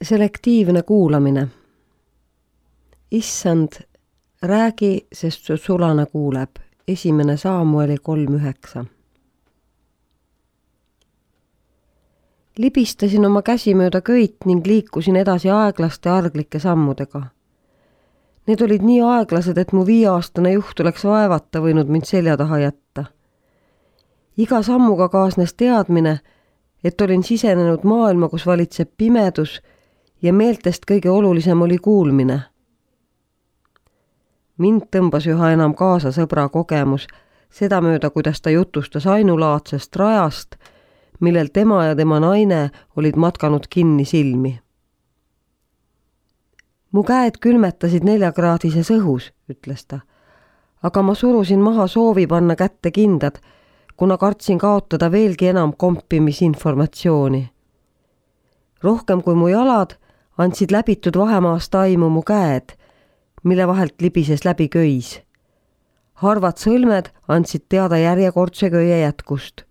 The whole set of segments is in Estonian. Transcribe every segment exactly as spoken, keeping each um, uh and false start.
Selektiivne kuulamine. Issand, räägi, sest su sulane kuuleb. Esimene Saamueli kolm üheksa. Libistasin oma käsi mööda köit ning liikusin edasi aeglaste arglike sammudega. Need olid nii aeglased, et mu viieaastane juht oleks vaevata võinud mind selja taha jätta. Iga sammuga kaasnes teadmine, et olin sisenenud maailma, kus valitseb pimedus ja meeltest kõige olulisem oli kuulmine. Mind tõmbas üha enam kaasa sõbra kogemus, seda mööda, kuidas ta jutustas ainulaadsest rajast, millel tema ja tema naine olid matkanud kinni silmi. Mu käed külmetasid neljakraadises õhus, ütles ta, aga ma surusin maha soovi panna kätte kindad, kuna kartsin kaotada veelgi enam kompimisinformatsiooni. Rohkem kui mu jalad andsid läbitud vahemaast aimu mu käed, mille vahelt libises läbi köis. Harvad sõlmed andsid teada järjekordse köie jätkust.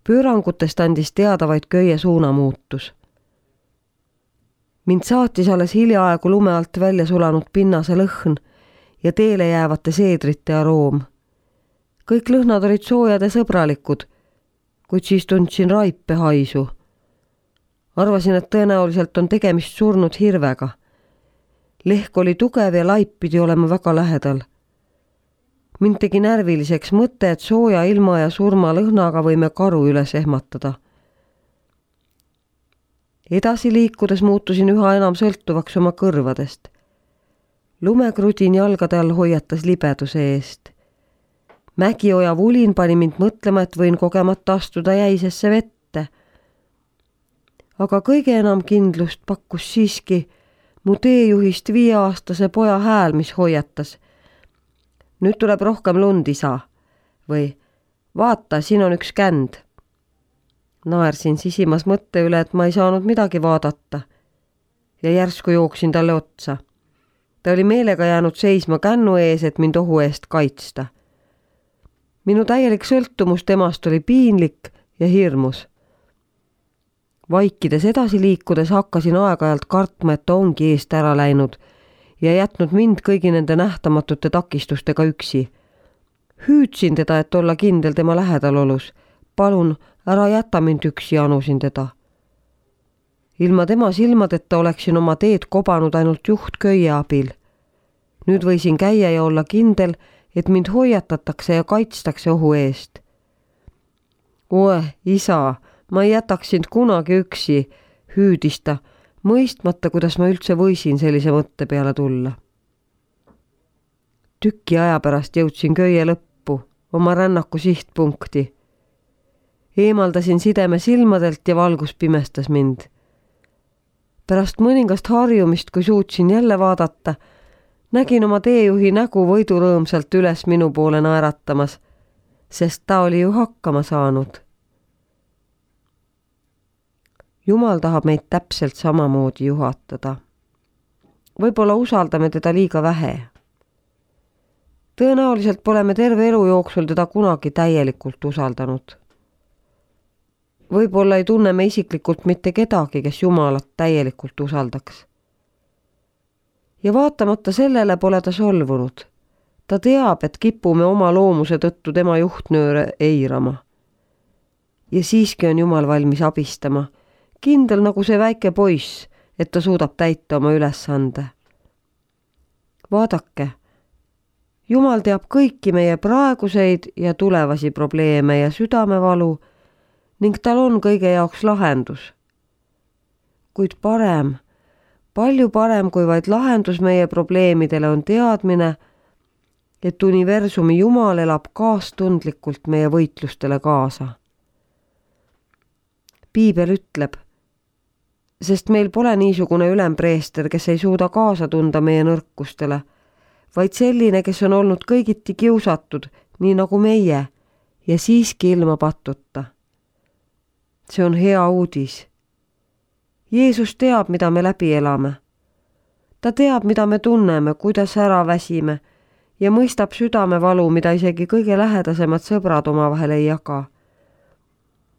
Pöörangutest andis teada vaid köie suunamuutus. Mind saatis alles hiljaaegu lume alt välja sulanud pinnase lõhn ja teele jäävate seedrite aroom. Kõik lõhnad olid soojad ja sõbralikud, kuid siis tundsin raipe haisu. Arvasin, et tõenäoliselt on tegemist surnud hirvega. Lehk oli tugev ja laip pidi olema väga lähedal. Mind tegi närviliseks mõte, et sooja ilma ja surma lõhnaga võime karu üles ehmatada. Edasi liikudes muutusin üha enam sõltuvaks oma kõrvadest. Lumekrudin jalgade all hoiatas libeduse eest. Mägioja vulin pani mind mõtlema, et võin kogemata astuda jäisesse vette. Aga kõige enam kindlust pakkus siiski mu teejuhist viieaastase poja hääl, mis hoiatas. Nüüd tuleb rohkem lund, isa. Või vaata, siin on üks känd. Naersin sisimas mõtte üle, et ma ei saanud midagi vaadata. Ja järsku jooksin talle otsa. Ta oli meelega jäänud seisma kännu ees, et mind ohu eest kaitsta. Minu täielik sõltumus temast oli piinlik ja hirmus. Vaikides edasi liikudes hakkasin aeg-ajalt kartma, et ta ongi eest ära läinud ja jätnud mind kõigi nende nähtamatute takistustega üksi. Hüüdsin teda, et olla kindel tema lähedalolus. Palun, ära jäta mind üksi, anusin teda. Ilma tema silmadeta oleksin oma teed kobanud ainult juhtköie abil. Nüüd võisin käia ja olla kindel, et mind hoiatatakse ja kaitstakse ohu eest. Oe, isa, ma ei jätaks sind kunagi üksi, hüüdis ta, mõistmata, kuidas ma üldse võisin sellise mõtte peale tulla. Tüki aja pärast jõudsin köie lõppu, oma rännaku sihtpunkti. Eemaldasin sideme silmadelt ja valgus pimestas mind. Pärast mõningast harjumist, kui suutsin jälle vaadata, nägin oma teejuhi nägu võidurõõmsalt üles minu poole naeratamas, sest ta oli ju hakkama saanud. Jumal tahab meid täpselt samamoodi juhatada. Võib-olla usaldame teda liiga vähe. Tõenäoliselt pole me terve elu jooksul teda kunagi täielikult usaldanud. Võib-olla ei tunne me isiklikult mitte kedagi, kes Jumalat täielikult usaldaks. Ja vaatamata sellele pole ta solvunud. Ta teab, et kipume oma loomuse tõttu tema juhtnööre eirama. Ja siiski on Jumal valmis abistama, kindel nagu see väike poiss, et ta suudab täita oma ülesande. Vaadake, Jumal teab kõiki meie praeguseid ja tulevasi probleeme ja südamevalu ning tal on kõige jaoks lahendus. Kuid parem, palju parem kui vaid lahendus meie probleemidele on teadmine, et universumi Jumal elab kaastundlikult meie võitlustele kaasa. Piibel ütleb, sest meil pole niisugune ülempreester, kes ei suuda kaasa tunda meie nõrkustele, vaid selline, kes on olnud kõigiti kiusatud, nii nagu meie, ja siiski ilma pattuta. See on hea uudis. Jeesus teab, mida me läbi elame. Ta teab, mida me tunneme, kuidas ära väsime ja mõistab südamevalu, mida isegi kõige lähedasemad sõbrad omavahel ei jaga.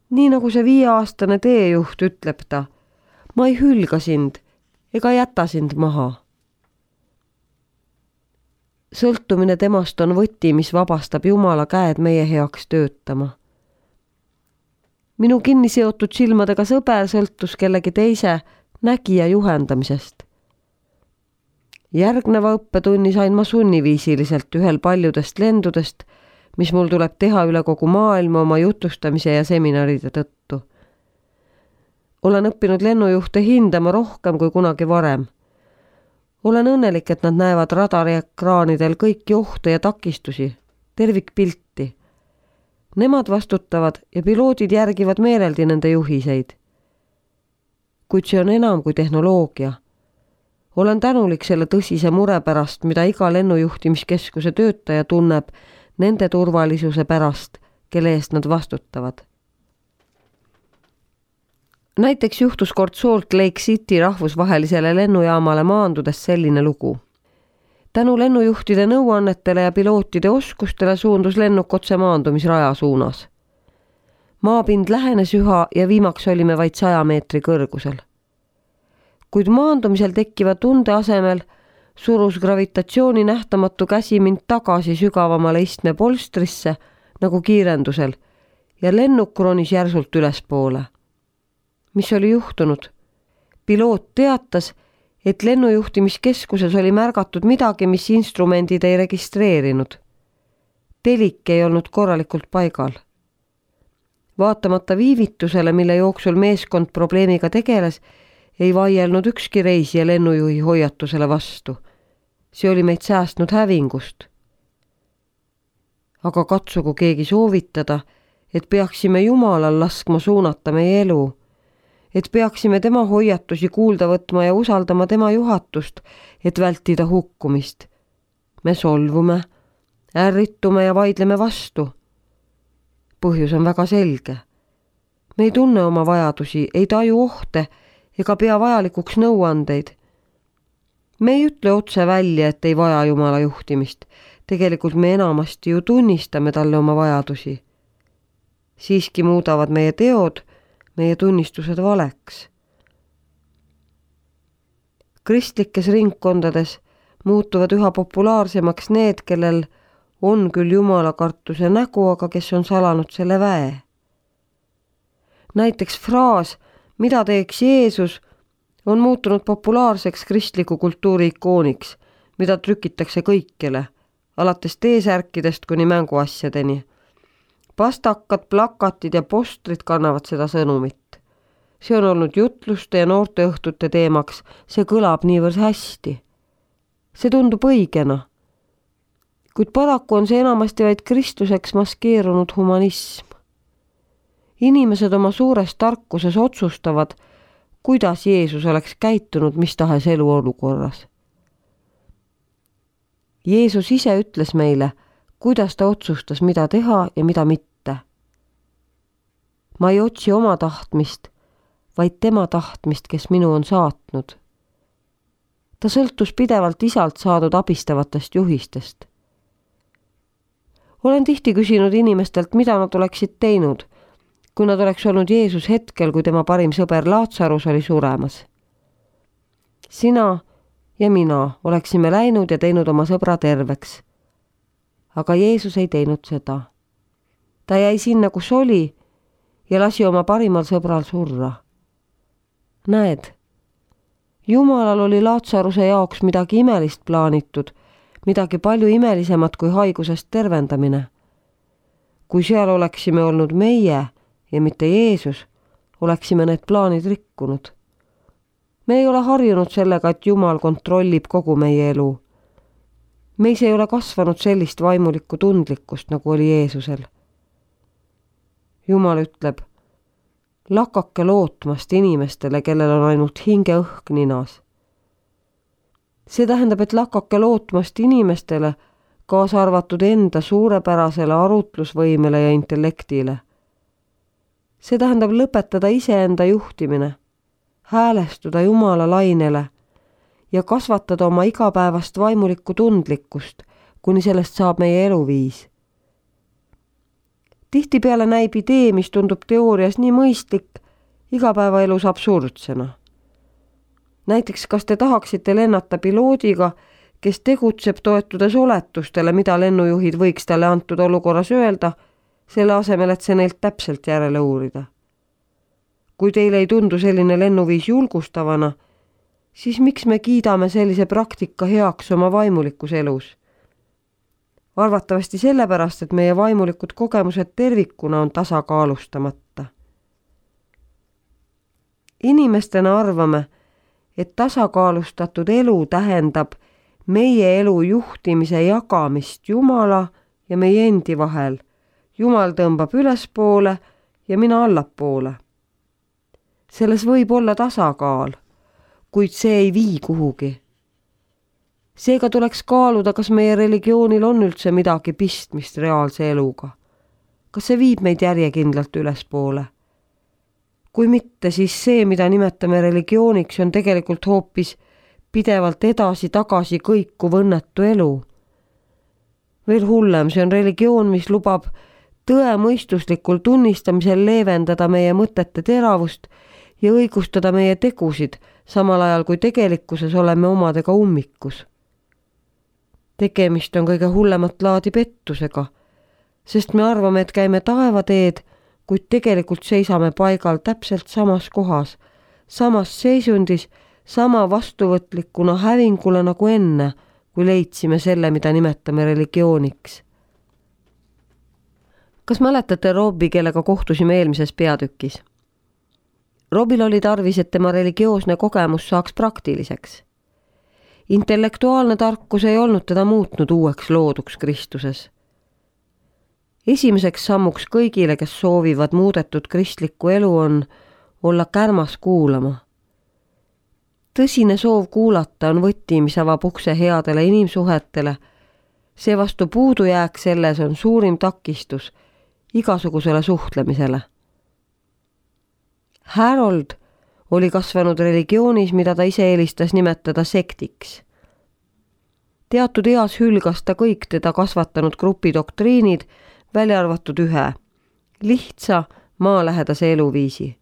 Nii nagu see viieaastane teejuht ütleb ta, ma ei hülga sind ega jäta sind maha. Sõltumine temast on võti, mis vabastab Jumala käed meie heaks töötama. Minu kinni seotud silmadega sõber sõltus kellegi teise nägija juhendamisest. Järgneva õppetunni sain ma sunniviisiliselt ühel paljudest lendudest, mis mul tuleb teha üle kogu maailma oma jutustamise ja seminaride tõttu. Olen õppinud lennujuhte hindama rohkem kui kunagi varem. Olen õnnelik, et nad näevad radariekraanidel kõiki ohte ja takistusi, tervikpilti. Nemad vastutavad ja piloodid järgivad meeleldi nende juhiseid. Kuid see on enam kui tehnoloogia. Olen tänulik selle tõsise mure pärast, mida iga lennujuhtimiskeskuse töötaja tunneb nende turvalisuse pärast, kelle eest nad vastutavad. Näiteks juhtus kord Salt Lake City rahvusvahelisele lennujaamale maandudes selline lugu. Tänu lennujuhtide nõuannetele ja pilootide oskustele suundus lennuk otse maandumisraja suunas. Maapind lähenes üha ja viimaks olime vaid saja meetri kõrgusel. Kuid maandumisel tekkiva tunde asemel surus gravitatsiooni nähtamatu käsi mind tagasi sügavamale istme polstrisse nagu kiirendusel ja lennuk ronis järsult ülespoole. Mis oli juhtunud? Piloot teatas, et lennujuhtimiskeskuses oli märgatud midagi, mis instrumendid ei registreerinud. Telik ei olnud korralikult paigal. Vaatamata viivitusele, mille jooksul meeskond probleemiga tegeles, ei vaielnud ükski reisija lennujuhi hoiatusele vastu. See oli meid säästnud hävingust. Aga katsugu keegi soovitada, et peaksime Jumalal laskma suunata meie elu, et peaksime tema hoiatusi kuulda võtma ja usaldama tema juhatust, et vältida hukkumist. Me solvume, ärritume ja vaidleme vastu. Põhjus on väga selge. Me ei tunne oma vajadusi, ei taju ohte ega pea vajalikuks nõuandeid. Me ei ütle otse välja, et ei vaja Jumala juhtimist. Tegelikult me enamasti ju tunnistame talle oma vajadusi. Siiski muudavad meie teod meie tunnistused valeks. Kristlikes ringkondades muutuvad üha populaarsemaks need, kellel on küll Jumala kartuse nägu, aga kes on salanud selle väe. Näiteks fraas, mida teeks Jeesus, on muutunud populaarseks kristliku kultuuri ikooniks, mida trükitakse kõikjale, alates T-särkidest kuni mänguasjadeni. Pastakad, plakatid ja postrid kannavad seda sõnumit. See on olnud jutluste ja noorteõhtute teemaks, see kõlab niivõrd hästi. See tundub õigena. Kuid paraku on see enamasti vaid Kristuseks maskeerunud humanism. Inimesed oma suures tarkuses otsustavad, kuidas Jeesus oleks käitunud mis tahes eluolukorras. Jeesus ise ütles meile, kuidas ta otsustas, mida teha ja mida mitte. Ma ei otsi oma tahtmist, vaid tema tahtmist, kes minu on saatnud. Ta sõltus pidevalt isalt saadud abistavatest juhistest. Olen tihti küsinud inimestelt, mida nad oleksid teinud, kui nad oleks olnud Jeesus hetkel, kui tema parim sõber Laatsarus oli suremas. Sina ja mina oleksime läinud ja teinud oma sõbra terveks. Aga Jeesus ei teinud seda. Ta jäi sinna, kus oli, ja lasi oma parimal sõbral surra. Näed, Jumalal oli Laatsaruse jaoks midagi imelist plaanitud, midagi palju imelisemat kui haigusest tervendamine. Kui seal oleksime olnud meie ja mitte Jeesus, oleksime need plaanid rikkunud. Me ei ole harjunud sellega, et Jumal kontrollib kogu meie elu. Meis ei ole kasvanud sellist vaimulikku tundlikkust, nagu oli Jeesusel. Jumal ütleb, lakake lootmast inimestele, kellel on ainult hinge õhk ninas. See tähendab, et lakake lootmast inimestele, kaasa arvatud enda suurepärasele arutlusvõimele ja intellektile. See tähendab lõpetada iseenda juhtimine, häälestuda Jumala lainele ja kasvatada oma igapäevast vaimulikku tundlikkust, kuni sellest saab meie eluviis. Tihtipeale näib idee, mis tundub teoorias nii mõistlik, igapäevaelus absurdsena. Näiteks, kas te tahaksite lennata piloodiga, kes tegutseb toetudes oletustele, mida lennujuhid võiks talle antud olukorras öelda, selle asemel, et see neilt täpselt järele uurida. Kui teile ei tundu selline lennuviis julgustavana, siis miks me kiidame sellise praktika heaks oma vaimulikus elus? Arvatavasti sellepärast, et meie vaimulikud kogemused tervikuna on tasakaalustamata. Inimestena arvame, et tasakaalustatud elu tähendab meie elu juhtimise jagamist Jumala ja meie endi vahel. Jumal tõmbab ülespoole ja mina allapoole. Selles võib olla tasakaal, kuid see ei vii kuhugi. Seega tuleks kaaluda, kas meie religioonil on üldse midagi pistmist reaalse eluga. Kas see viib meid järjekindlalt ülespoole? Kui mitte, siis see, mida nimetame religiooniks, on tegelikult hoopis pidevalt edasi-tagasi kõikuv õnnetu elu. Veel hullem, see on religioon, mis lubab tõemõistuslikul tunnistamisel leevendada meie mõtete teravust ja õigustada meie tegusid, samal ajal kui tegelikkuses oleme omadega ummikus. Tegemist on kõige hullemat laadi pettusega, sest me arvame, et käime taevateed, kuid tegelikult seisame paigal täpselt samas kohas, samas seisundis, sama vastuvõtlikuna hävingule nagu enne, kui leidsime selle, mida nimetame religiooniks. Kas mäletate Robbi, kellega kohtusime eelmises peatükis? Robbil oli tarvis, et tema religioosne kogemus saaks praktiliseks. Intellektuaalne tarkus ei olnud teda muutnud uueks looduks Kristuses. Esimeseks sammuks kõigile, kes soovivad muudetud kristlikku elu, on olla kärmas kuulama. Tõsine soov kuulata on võti, mis avab ukse headele inimsuhetele. Seevastu puudujääk selles on suurim takistus igasugusele suhtlemisele. Harold oli kasvanud religioonis, mida ta ise eelistas nimetada sektiks. Teatud eas hülgas ta kõik teda kasvatanud grupi doktriinid, välja arvatud ühe, lihtsa maalähedase eluviisi.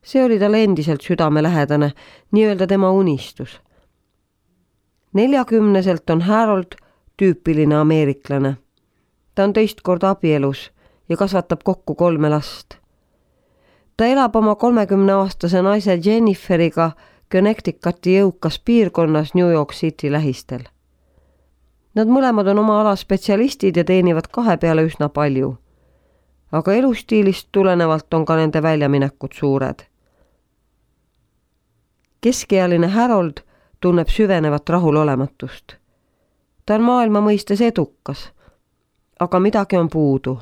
See oli talle endiselt südamelähedane, nii-öelda tema unistus. Neljakümneselt on Harold tüüpiline ameeriklane. Ta on teist korda abielus ja kasvatab kokku kolme last. Ta elab oma kolmekümneaastase naise Jenniferiga Connecticuti jõukas piirkonnas New York City lähistel. Nad mõlemad on oma ala spetsialistid ja teenivad kahe peale üsna palju. Aga elustiilist tulenevalt on ka nende väljaminekud suured. Keskealine Harold tunneb süvenevat rahulolematust. Ta on maailma mõistes edukas, aga midagi on puudu.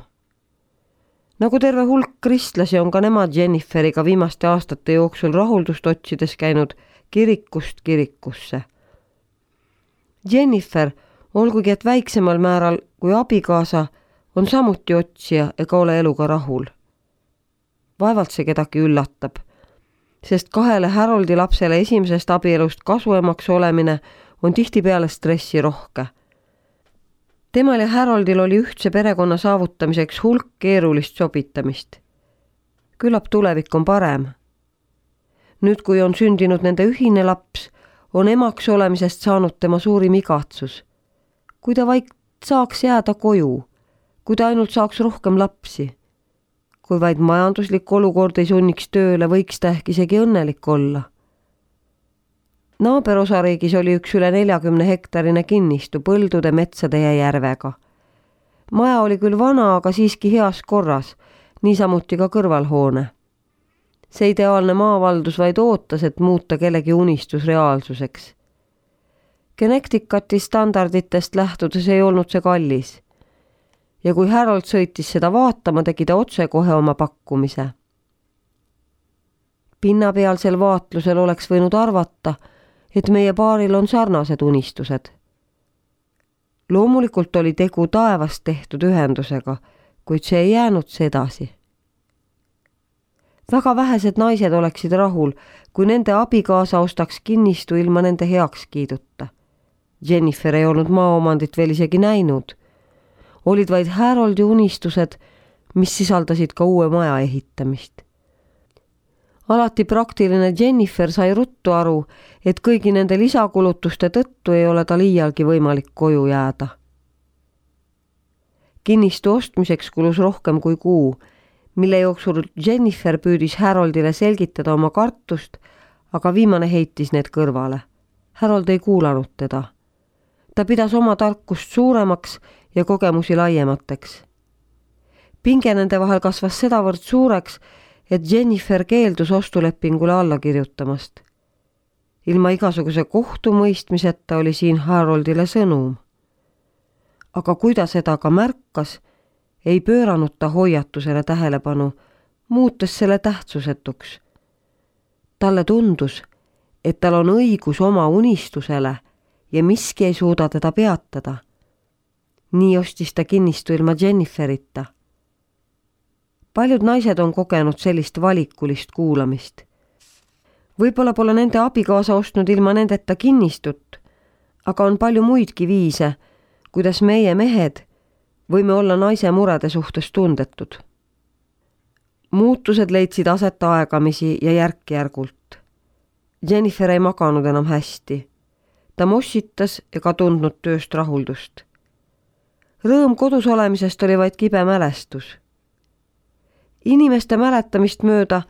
Nagu terve hulk kristlasi on ka nemad Jenniferiga viimaste aastate jooksul rahuldust otsides käinud kirikust kirikusse. Jennifer, olgugi et väiksemal määral kui abikaasa, on samuti otsija ega ole eluga rahul. Vaevalt see kedagi üllatab, sest kahele Haroldi lapsele esimesest abielust kasuemaks olemine on tihtipeale stressi rohke. Temal ja Haroldil oli ühtse perekonna saavutamiseks hulk keerulist sobitamist. Küllap tulevik on parem. Nüüd, kui on sündinud nende ühine laps, on emaks olemisest saanud tema suurim igatsus. Kui ta vaid saaks jääda koju, kui ta ainult saaks rohkem lapsi. Kui vaid majanduslik olukord ei sunniks tööle, võiks ta ehk isegi õnnelik olla. Naaberosariigis oli üks üle neljakümne hektarine kinnistu põldude, metsade ja järvega. Maja oli küll vana, aga siiski heas korras, niisamuti ka kõrvalhoone. See ideaalne maavaldus vaid ootas, et muuta kellegi unistus reaalsuseks. Connecticuti standarditest lähtudes ei olnud see kallis. Ja kui Harold sõitis seda vaatama, tegi ta otse kohe oma pakkumise. Pinnapealsel vaatlusel oleks võinud arvata, et meie paaril on sarnased unistused. Loomulikult oli tegu taevast tehtud ühendusega, kuid see ei jäänud sedasi. Väga vähesed naised oleksid rahul, kui nende abikaasa ostaks kinnistu ilma nende heakskiiduta. Jennifer ei olnud maaomandit veel isegi näinud. Olid vaid Haroldi unistused, mis sisaldasid ka uue maja ehitamist. alati praktiline Jennifer sai ruttu aru, et kõigi nende lisakulutuste tõttu ei ole tal iialgi võimalik koju jääda. Kinnistu ostmiseks kulus rohkem kui kuu, mille jooksul Jennifer püüdis Haroldile selgitada oma kartust, aga viimane heitis need kõrvale. Harold ei kuulanud teda. Ta pidas oma tarkust suuremaks ja kogemusi laiemateks. Pinge nende vahel kasvas sedavõrd suureks, et Jennifer keeldus ostulepingule alla kirjutamast. Ilma igasuguse kohtumõistmiseta oli siin Haroldile sõnum. Aga kui ta seda ka märkas, ei pööranud ta hoiatusele tähelepanu, muutes selle tähtsusetuks. Talle tundus, et tal on õigus oma unistusele ja miski ei suuda teda peatada. Nii ostis ta kinnistu ilma Jenniferita. Paljud naised on kogenud sellist valikulist kuulamist. Võib-olla pole nende abikaasa ostnud ilma nendeta kinnistut, aga on palju muidki viise, kuidas meie mehed võime olla naise murede suhtes tundetud. Muutused leidsid aset aegamisi ja järk-järgult. Jennifer ei maganud enam hästi. Ta mossitas ega tundnud tööst rahuldust. Rõõm kodus olemisest oli vaid kibe mälestus. Inimeste mäletamist mööda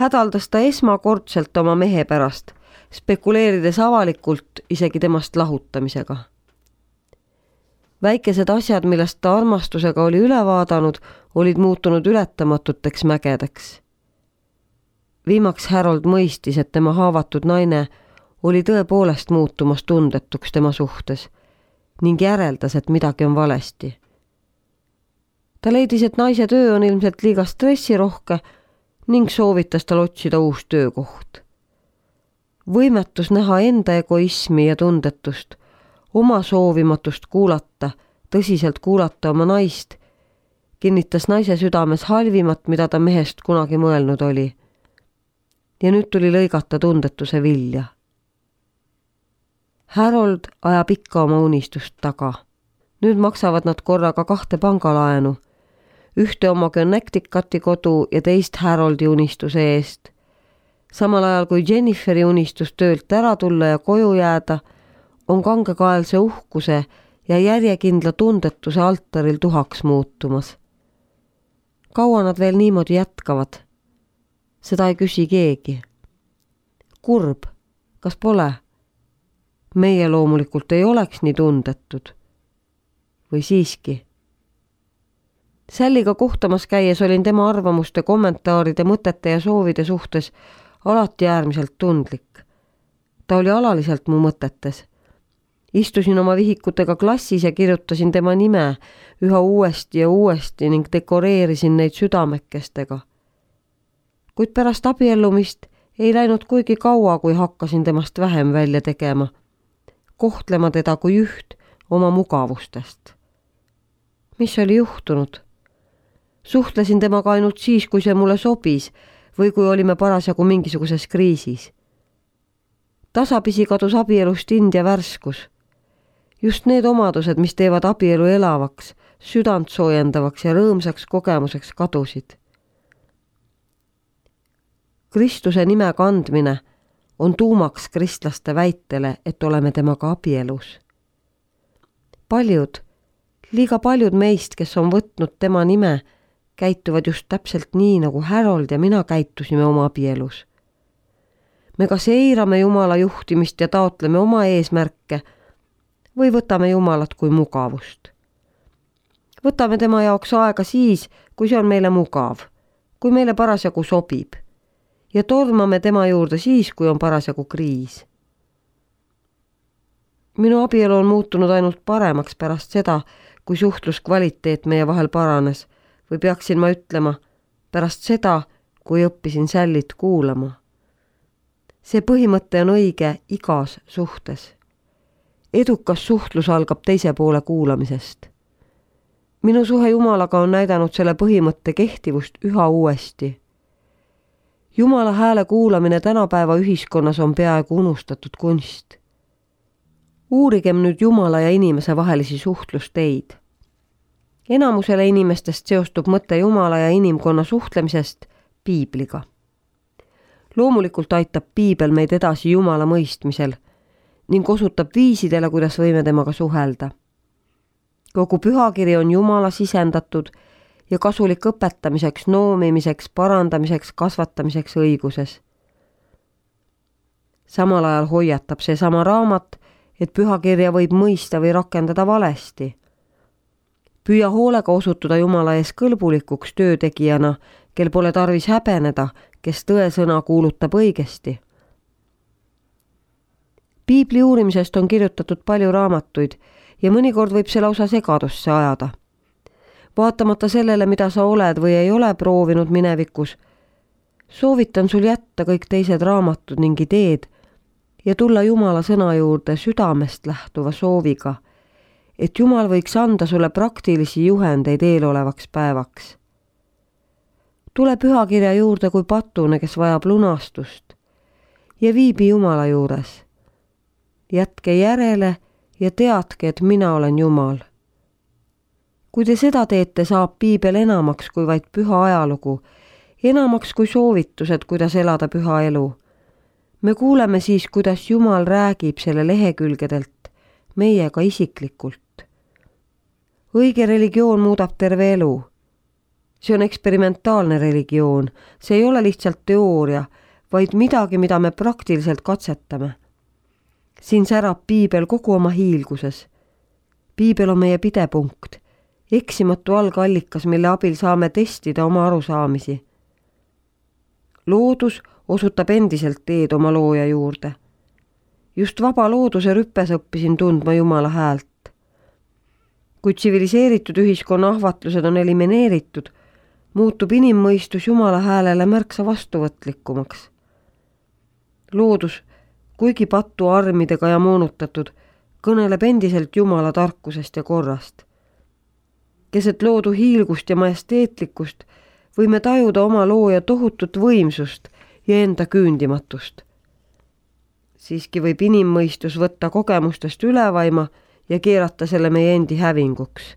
hädaldas ta esmakordselt oma mehe pärast, spekuleerides avalikult isegi temast lahutamisega. Väikesed asjad, millest ta armastusega oli üle vaadanud, olid muutunud ületamatuteks mägedeks. Viimaks Harold mõistis, et tema haavatud naine oli tõepoolest muutumas tundetuks tema suhtes ning järeldas, et midagi on valesti. Ta leidis, et naise töö on ilmselt liiga stressirohke ning soovitas tal otsida uus töökoht. Võimetus näha enda egoismi ja tundetust, oma soovimatust kuulata, tõsiselt kuulata oma naist, kinnitas naise südames halvimat, mida ta mehest kunagi mõelnud oli. Ja nüüd tuli lõigata tundetuse vilja. Harold ajab ikka oma unistust taga. Nüüd maksavad nad korraga kahte pangalaenu, ühte oma Connecticuti kodu ja teist Haroldi unistuse eest. Samal ajal kui Jenniferi unistus töölt ära tulla ja koju jääda, on kangekaelse uhkuse ja järjekindla tundetuse altaril tuhaks muutumas. Kaua nad veel niimoodi jätkavad? Seda ei küsi keegi. Kurb, kas pole? Meie loomulikult ei oleks nii tundetud. Või siiski? Salliga kohtamas käies olin tema arvamuste, kommentaaride, mõtete ja soovide suhtes alati äärmiselt tundlik. Ta oli alaliselt mu mõtetes. Istusin oma vihikutega klassis ja kirjutasin tema nime üha uuesti ja uuesti ning dekoreerisin neid südamekestega. Kuid pärast abiellumist ei läinud kuigi kaua, kui hakkasin temast vähem välja tegema, kohtlema teda kui üht oma mugavustest. Mis oli juhtunud? Suhtlesin temaga ainult siis, kui see mulle sobis või kui olime parasjagu mingisuguses kriisis. Tasapisi kadus abielust India värskus. Just need omadused, mis teevad abielu elavaks, südant soojendavaks ja rõõmsaks kogemuseks kadusid. Kristuse nime kandmine on tuumaks kristlaste väitele, et oleme temaga abielus. Paljud, liiga paljud meist, kes on võtnud tema nime, käituvad just täpselt nii, nagu Harold ja mina käitusime oma abielus. Me kas eirame Jumala juhtimist ja taotleme oma eesmärke või võtame Jumalat kui mugavust. Võtame tema jaoks aega siis, kui see on meile mugav, kui meile parasjagu sobib, ja tormame tema juurde siis, kui on parasjagu kriis. Minu abielu on muutunud ainult paremaks pärast seda, kui suhtluskvaliteet meie vahel paranes, või peaksin ma ütlema, pärast seda, kui õppisin Sallit kuulama. See põhimõte on õige igas suhtes. Edukas suhtlus algab teise poole kuulamisest. Minu suhe Jumalaga on näidanud selle põhimõtte kehtivust üha uuesti. Jumala hääle kuulamine tänapäeva ühiskonnas on peaaegu unustatud kunst. Uurigem nüüd Jumala ja inimese vahelisi suhtlusteid. Enamusele inimestest seostub mõte Jumala ja inimkonna suhtlemisest Piibliga. Loomulikult aitab piibel meid edasi Jumala mõistmisel ning osutab viisidele, kuidas võime temaga suhelda. Kogu pühakiri on Jumala sisendatud ja kasulik õpetamiseks, noomimiseks, parandamiseks, kasvatamiseks õiguses. Samal ajal hoiatab see sama raamat, et pühakirja võib mõista või rakendada valesti. Püüa hoolega osutuda Jumala ees kõlbulikuks töötegijana, kel pole tarvis häbeneda, kes tõesõna kuulutab õigesti. Piibli uurimisest on kirjutatud palju raamatuid ja mõnikord võib see lausa segadusse ajada. Vaatamata sellele, mida sa oled või ei ole proovinud minevikus, soovitan sul jätta kõik teised raamatud ning ideed ja tulla Jumala sõna juurde südamest lähtuva sooviga, et Jumal võiks anda sulle praktilisi juhendeid eelolevaks päevaks. Tule pühakirja juurde kui patune, kes vajab lunastust ja viibi Jumala juures. Jätke järele ja teadke, et mina olen Jumal. Kui te seda teete, saab piibel enamaks kui vaid püha ajalugu, enamaks kui soovitused, kuidas elada püha elu. Me kuuleme siis, kuidas Jumal räägib selle lehekülgedelt meiega isiklikult. Õige religioon muudab terve elu. See on eksperimentaalne religioon, see ei ole lihtsalt teooria, vaid midagi, mida me praktiliselt katsetame. Siin särab piibel kogu oma hiilguses. Piibel on meie pidepunkt, eksimatu algallikas, mille abil saame testida oma arusaamisi. Loodus osutab endiselt teed oma looja juurde. Just vaba looduse rüppes õppisin tundma Jumala häält. Kui tsiviliseeritud ühiskonna ahvatlused on elimineeritud, muutub inimmõistus Jumala häälele märksa vastuvõtlikumaks. Loodus, kuigi pattu armidega ja moonutatud, kõneleb endiselt Jumala tarkusest ja korrast. Keset loodu hiilgust ja majesteetlikkust võime tajuda oma looja tohutut võimsust ja enda küündimatust. Siiski võib inimmõistus võtta kogemustest ülevaima ja keerata selle meie endi hävinguks.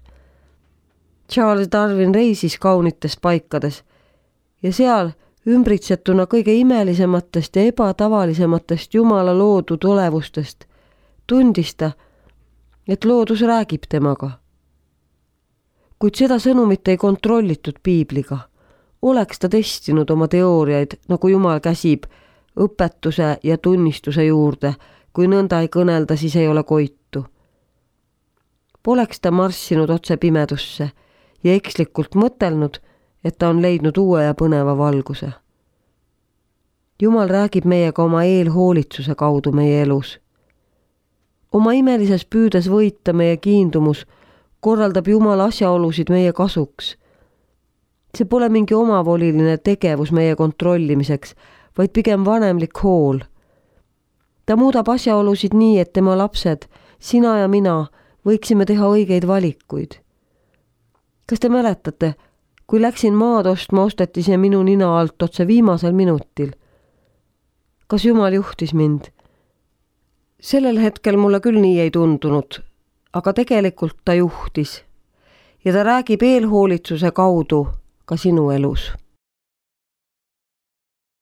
Charles Darwin reisis kaunites paikades ja seal ümbritsetuna kõige imelisematest ja ebatavalisematest Jumala loodud olevustest tundis ta, et loodus räägib temaga. Kuid seda sõnumit ei kontrollitud piibliga. Oleks ta testinud oma teooriaid, nagu Jumal käsib, õpetuse ja tunnistuse juurde, kui nõnda ei kõnelda, siis ei ole koitu. Poleks ta marssinud otse pimedusse ja ekslikult mõtelnud, et ta on leidnud uue ja põneva valguse. Jumal räägib meiega oma eelhoolitsuse kaudu meie elus. Oma imelises püüdes võita meie kiindumus korraldab Jumal asjaolusid meie kasuks. See pole mingi omavoliline tegevus meie kontrollimiseks, vaid pigem vanemlik hool. Ta muudab asjaolusid nii, et tema lapsed, sina ja mina, võiksime teha õigeid valikuid. Kas te mäletate, kui läksin maad ostma, osteti see minu nina alt otse viimasel minutil? Kas Jumal juhtis mind? Sellel hetkel mulle küll nii ei tundunud, aga tegelikult ta juhtis ja ta räägib eelhoolitsuse kaudu ka sinu elus.